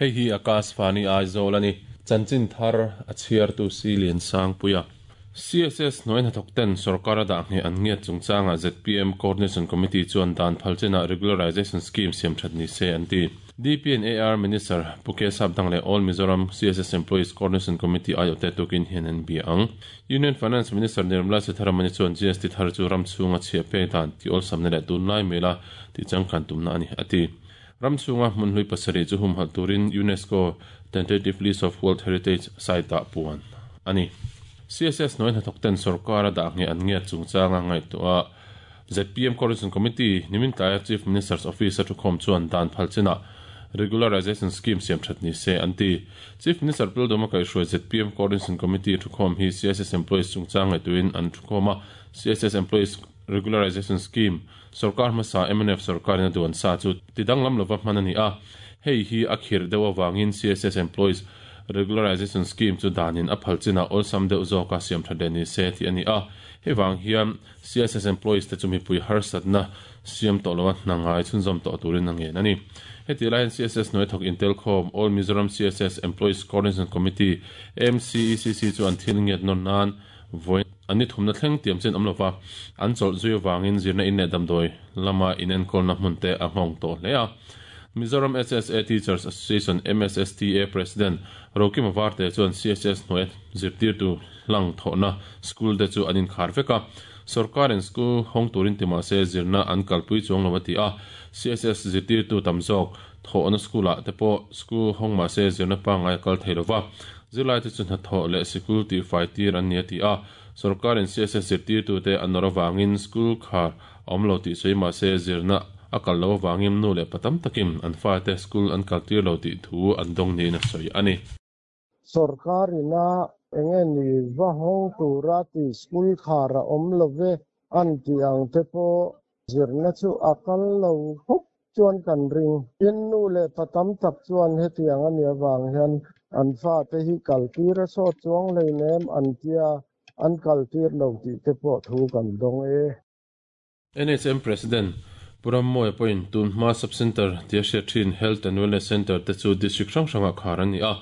Hei hi Akashvani Aizawl a ni. Chanchin thar a chhiartu Si Liansangpuia. CSS hnuai hnathawk ten sorkar a dah ngheh an ngiat chungchangah zpm Coordination Committee chuan dan phal chinah Regularization Scheme siam that ni se an ti. DPNAR Minister Pu K Sapdang leh All Mizoram CSS Employees Coordination Committee aiawhte tukin hian an bia ang. Union Finance Minister Nirmala Sitharaman-i chuan GST thar chu ram chhunga chhiah pek dan tih awlsamna leh tunlai mela tih changkan tumna a ni, a ti. Ram chhunga hmun hlui pasarih chu humhalh turin UNESCO Tentative List of World Heritage Site-ah puan a ni. CSS hnuai hnathawkten sorkar a dah ngheh an ngiat chungchanga ngaihtuah zpm Coordination Committee nimin tlaia Chief Minister's Office a thukhawm chuan dan phal chinah Regularization Scheme siam that ni se an ti. Chief Minister Pildawma kaihhruai zpm Coordination Committee thukhawm hi CSS employees chungchang ngaihtuahin an thukhawm a, CSS employees Regularization Scheme sorkar hmasa mnf sorkarin a duan sa chu ti danglam lova hman a ni a, hei hi a khirh deuh avangin CSS employees Regularization Scheme chu danin a phal chinah awlsam deuh zawka siam that leh ni se tih a ni a, hei vang hian CSS employees te chu mipui harsatna siam tawh loa hna ngai chhunzawm tawh turin a ngen a ni. Heti laiin CSS hnuai thawk intelkhawm All Mizoram CSS Employees Coordination Committee, MCECC, chu an thil ngiat nawn nan vawi an ni thumna thleng tiam chin awm lova an chawlh zui avangin zirna in leh damdawi lama inenkawlna hmun te a nghawng tawh hle a. Mizoram SSA Teachers Association, MSSTA, President Rokima Varte chuan CSS hnuaia zirtirtu hlang thawhna school te chu an inkhar vek a, sorkarin school hawng turin ti mahse zirna an kalpui chuang lo a ti a, CSS zirtirtu tam zawk thawhna school ah te pawh school hawng mahse zirna pangngai a kal thei lova, zirlaite chu hnathawh leh sikul tihfai tir an ni a ti a, sorkarin CSS zirtirtute an nawr avangin school khar a awm lo tih sawi mahse zirna a kal lo avangin nu leh pa tam takin an fate school an kal tir lo tih thu an dawng niin a sawi a ni. Sorkar ina enge ni va hawng tura ti school khar a awm lo ve an tih ang te pawh zirna chu a kal lo khawp chuan kan ring. Tin, nu leh pa tam tak chuan hetiang a nih avang hian an fate hi kal tir a sawt chuang hleinem an tia an kal tir lo tih te pawh thu kan dawng e. NHM President Pu Rammawia pawhin tun hma Sub-Centre tia hriat thin Health and Wellness Centre te chu District hrang hrangah khar an ni a,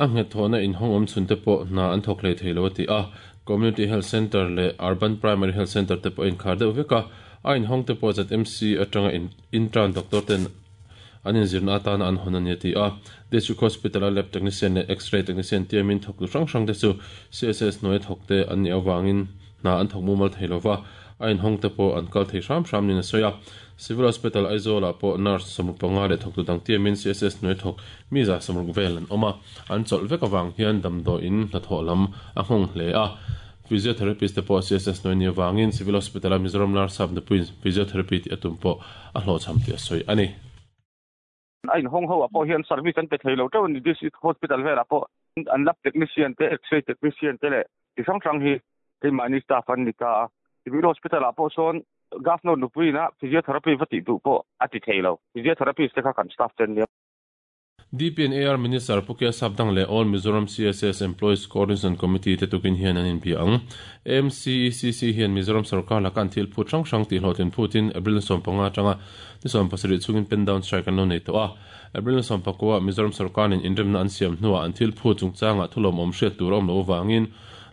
a nghet thawhna inhawng awm chhun te pawh hna an thawk hlei thei lo a ti a. Community Health Centre leh Urban Primary Health Centre te pawh a inkhar deuh vek a, a inhawng te pawh ZMC atanga intern doctor ten an inzirna atana an hawn a ni a ti a. District Hospital a Lab Technician leh X-ray Technician tiamin thawktu hrang hrang te chu CSS hnuaia thawk te an nih avangin Hna an thawk mumal thei lova, a inhawng te pawh an kal thei hram hram niin a sawi a. Civil Hospital Aizawl-ah pawh nurse 65 leh thawktu dang tiamin CSS hnuai thawk mi 60 vel an awm a, an chawlh vek avang hian damdawiin hnathawh lam a nghawng hle a. Physiotherapist te pawh CSS hnuai ni avangin Civil Hospital-a Mizoram Larsap nupuiin physiotherapy tih a tum pawh a hlawhchham tih a sawi a ni. A inhawng ho ah pawh hian service an pe thei lo teuh a ni. District Hospital velah pawh an lab technician te, x-ray technician te leh chi hrang hrang hi keimahni staff an ni ta a. Civil Hospital ah pawh sawn Governor nupuiin a physiotherapy va tih duh pawh a ti thei lo. Physiotherapist te kha kan staff te an nia. DPNAR Minister Pu K Sapdang leh All Mizoram CSS Employees Coordination Committee te tukin hian an inbia ang. MCECC hian Mizoram sorkar laka an thil phut hrang hrang tih hlawhtlin phutin April 15 atanga ni 17 chhungin pen down strike an lo nei tawh a. April 19 ah Mizoram sorkarin inremna an siam hnuah an thil phut chungchangah thulawmawm hriat tur a awm loh avangin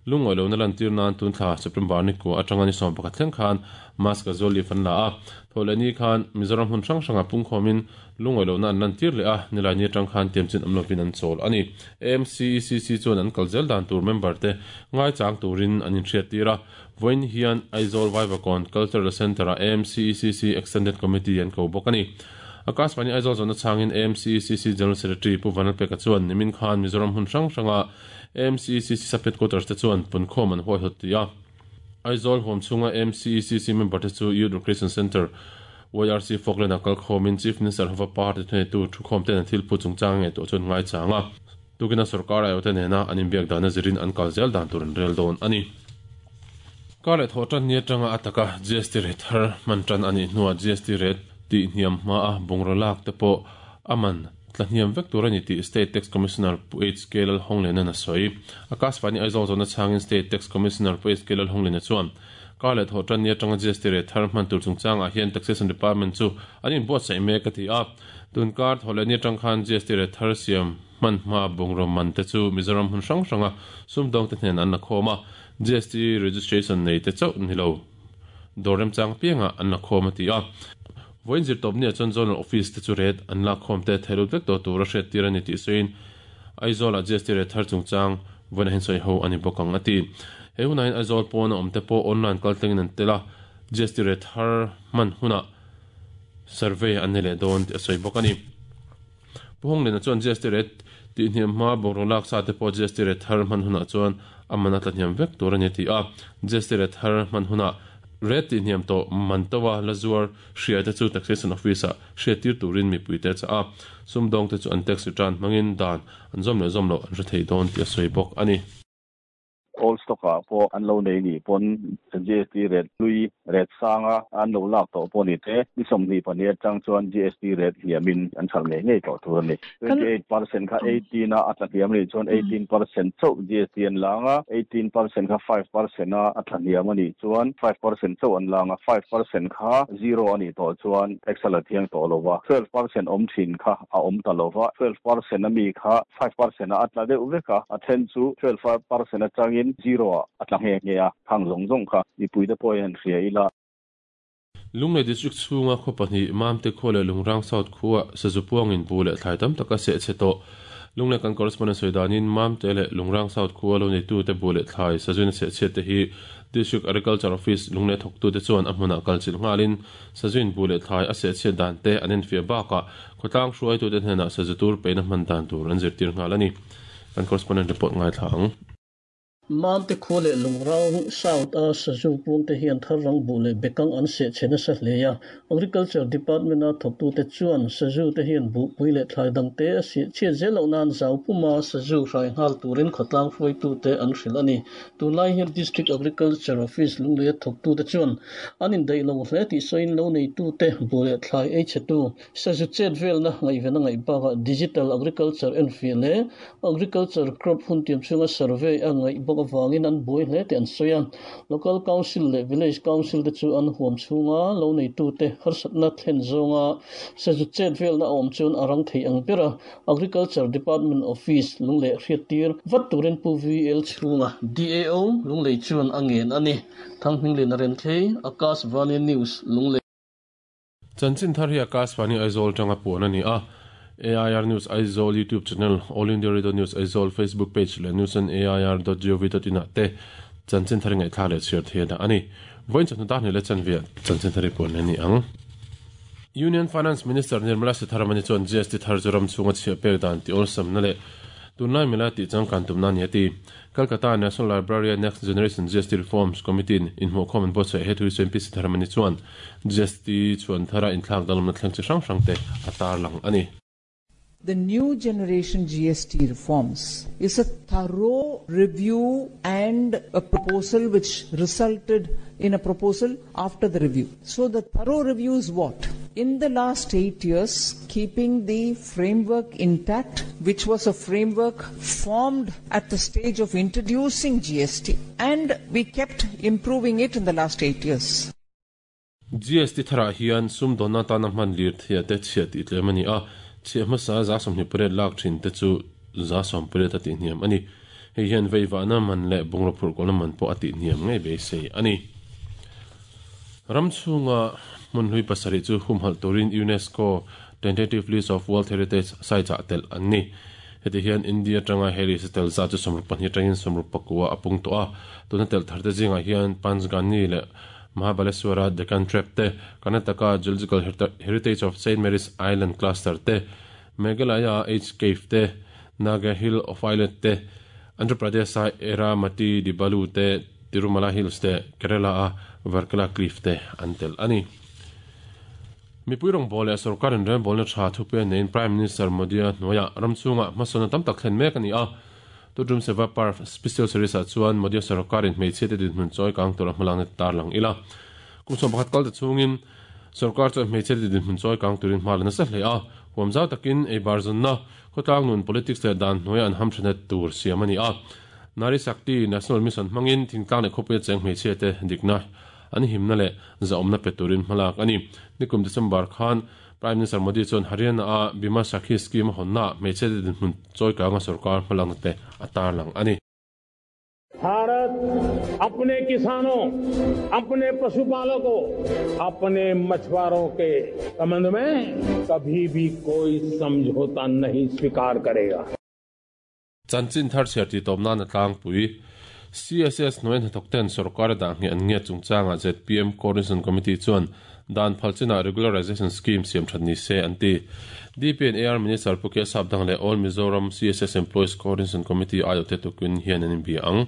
Lungawi lohna lantir nan tun thla September ni kua atanga ni 11 thleng khan mask a zual leaf an la a. Thawhlehni khan Mizoram hmun hrang hrangah pungkhawmin Lungawi lohna an lantir leh a, nilaini atang khan tiamchin awm lovin an chawl a ni. AMCECC chuan an kal zel dan tur member te ngaichang turin an inhriattir a, vawiin hian Aizawl Vaivakawn Cultural Centre-ah AMCECC Extended Committee an ko bawk a ni. Akashvani Aizawl zawhna chhangin AMCECC General Secretary Pu Vanlalpeka chuan nimin khan Mizoram hmun hrang hranga AMCECC Sub-Headquarters te chuan punkhawm an huaihawt ti a. Aizawl huam chhunga MCECC member te chu Youth Recreation Centre, YRC, Falkland ah kal khawmin Chief Minister hova party thuneitu thukhawm ten an thil phut chungchang nge tawh chuan ngaichang a. Tukina sorkar aiawhte nena an inbiak dana zirin an kal zel dan tur an rel dawn a ni. Kar leh thawh tan ni atanga a taka GST rate thar hman tan a nih hnuah GST rate tih hniam hmaa bungraw lak te pawh a man Tla hniam vek tur a ni tih State Tax Commissioner Pu HK Lalhawnglena'n a sawi. Akashvani Aizawl zawhna chhangin State Tax Commissioner Pu HK Lalhawnglena chuan, Kar leh Thawhtanni atanga GST rate thar hman tur chungchangah hian Taxation Department chu an inbuatsaih mek a ti a. Tun kar Thawhlehni atang khan GST rate thar siam hman hma bungraw man te chu Mizoram hmun hrang hranga sumdawngte hnen an la khawm a, GST registration nei te chauh ni lo dawr remchang apiangah an la khawm a ti a. Vawiin zirtawpniah chuan Zonal Office te chu rate an lak khawm te theilut vek tawh tur a hriattir a ni tih sawiin Aizawlah GST rate thar chungchang vawiin a hinsawi ho a ni bawk ang a ti. He hunah hian Aizawl pawna awmte pawh online kaltlengin an tel a, GST rate thar hman hunah survey an ni leh dawn tih a sawi bawk a ni. Pu Honglena chuan GST rate tihhniam hma bungraw lak sa te pawh GST rate thar hman hunah chuan a man a tlahniam vek tur a ni a ti a. GST rate thar hman hunah rate tihhniam tawh man to a la zuar hria te chu Taxation Office ah hriattir turin mipuite a chah a. Sumdawngte chu an tax return hmangin dan an zawm leh zawm loh an hre thei dawn tih a sawi bawk a ni. Old stock ah pawh an lo nei nih pawn GST rate hlui rate sanga an lo lak tawh pawh ni te, ni 22 atang chuan GST rate hniamin an hralh ngei ngei tawh tur a ni. 28% kha 18 a a tla hniam anih chuan 18% chauh GST an lang a, 18% kha 5% a a tla hniam anih chuan 5% chauh an lang a, 5% kha zero anih tawh chuan tax a la thiang tawh lo va, 12% awm thin kha a awm ta lo va, 12% a mi kha 5% ah a tla deuh vek a, a then chu 12% atangin zero ah a tla nghe nghe a, khang zawng zawng kha mipuite pawh hian hria ila. Lunglei District chhunga khaw pahnih Mamte khua leh Lungrang South khuaa sazu puangin bu leh thlai tam tak a seh chhe tawh. Lunglei kan correspondent sawi danin Mamte leh Lungrang South khua lo neitute bu leh thlai sazuin a seh chhiat te hi District Agriculture Office Lunglei thawktute chuan a hmunah kal chilh nghalin sazuin bu leh thlai a seh chhiat dan te an enfiah bakah Khawtlang hruaitute hnenah sazu tur peihna hman dan tur an zirtir nghal a ni. Kan correspondent report ngaithla ang. Mamte khua leh Lungrang South a sazu puangte hian thar rang buh leh bekang an seh chhe nasa hle a. Agriculture Department a thawktute chuan sazu te hian buhpui leh thlai dangte a seh chhiat zel loh nan zau puma sazu hrai nghal turin khawtlang hruaitute an hrilh a ni. Tunlai hian District Agriculture Office Lungleia thawktute chuan an indaih lo hle tih sawiin lo neitute buh leh thlai ei chhetu Sazu chet velna ngaihven a ngaih bakah Digital Agriculture enfiah leh Agriculture Crop hun tiam chhunga survey a ngaih bawk avangin an buai hle tih an sawi a. Local Council leh Village Council te chu an huam chhunga lo neitute harsatna thlen zawnga sazu chet velna a awm chuan a rang thei ang ber a. Agriculture Department Office lungleh hriattir vat turin Pu VL chhunga DAO lunglei chuan a ngen a ni. Thanghminglina Remthei, Akashvani News, Lunglei. Chanchin thar hi Akashvani Aizawl tanga puan a ni a. AIR News Aizawl YouTube channel, All India Radio News Aizawl Facebook page leh news on air dot gov dot in ah te chanchin thar i ngaihthlak leh chhiar thei a dah a ni. Vawiin chawhnu dar hnih leh chanve ah chanchin thar i puan leh a ni ang. Union Finance Minister Nirmala Sitharaman-i chuan GST thar chu ram chhunga chhiah pek dan tih awlsamna leh tunlai mila tih changkan tumna a ni a ti. Calcutta National Library-a Next Generation GST Reforms Committee-in inhmuhkhawm an buatsaih he thu hi sawiin Pi Sitharaman-i chuan GST chhuan thara inthlak danglamna thleng chi hrang hrangte a tarlang a ni. The new generation GST reforms is a thorough review and a proposal which resulted in a proposal after the review. So the thorough review is what? In the last 8 years, keeping the framework intact, which was a framework formed at the stage of introducing GST, and we kept improving it in the last 8 years. GST tharah hian sumdawnna atana hman lirthei te chhiah tih tlem a ni a, chhiah hmasa 78 lak thin te chu 18% a tihhniam a ni. Hei hian veivahna man leh bungraw phurhkawlhna man pawh a tihhniam ngei beisei a ni. Ram chhunga hmun hlui pasarih chu humhalh turin UNESCO Tentative List of World Heritage Sites-ah telh an ni. Heti hian India atanga he list a tel zat chu 62 atangin 64 a pung tawh a, tuna telh tharte zingah hian Panchgani leh Mahabaleshwara Deccan Trap te, Karnataka Geological Heritage of Saint Mary's Island Cluster te, Meghalaya H Cave te, Naga Hill of Islet te, Andhra Pradesh-a Erramati Dibbalu te, Tirumala Hills te, Kerala-a Varkala Cliff te an tel a ni. Mipui rawngbâwl leh sorkar inrelbâwlna ṭha thupe neiin Prime Minister Modi-a hnuaiah ram chhungah hmasawnna tam tak thlen mek a ni a. Tudrum Seva Parv Special Series-ah chuan Modi-a sorkarin hmeichhiate dinhmun chawi kang tura hmalakna ti tarlang ila. Kum 11 kal ta chhungin sorkar chuan hmeichhiate dinhmun chawi kang turin hma la nasa hle a. Huam zau takin ei bar zawnna, khawtlang nun, politics leh dan hnuaia an hamthenna tur siam a ni a. Nari Shakti National Mission hmangin thingtlang leh khawpuia cheng hmeichhiate dikna an himna leh zahawmna pe turin hmalak a ni. Nikum December khan Prime Minister Modi chuan Haryana a Bima Sakhi scheme a hawnnaah hmeichhe te dinhmun chawi kanga sorkar hmalakna te a tarlang a ni. Bharat अपने किसानों, अपने पशुपालकों, अपने मछुआरों के संबंध में कभी भी कोई समझौता नहीं स्वीकार करेगा। Chanchin thar chhiar tih tawp nan a tlangpui. CSS hnuai hnathawk ten sorkar a dah ngheh an ngiat chungchangah zpm Coordination Committee chuan dan phal chinah Regularization Scheme siam that ni se an ti. DP and AR Minister Pu K Sapdang leh All Mizoram CSS Employees Coordination Committee aiawhte tukin hian an inbia ang.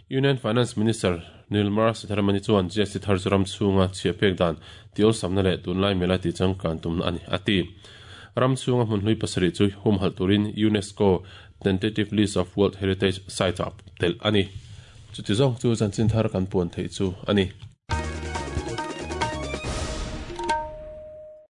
Union Finance Minister Nirmala Sitharaman-i chuan GST thar chu ram chhunga chhia pek dan tiawlsamna leh tunlai mela tihchangkan tumna a ni, a ti. Ram chhunga hmun hlui pasarih chu humhalh turin UNESCO Tentative List of World Heritage Sites-ah telh a ni. Chuti zawng chu chanchin thar kan puan theih chu a ni.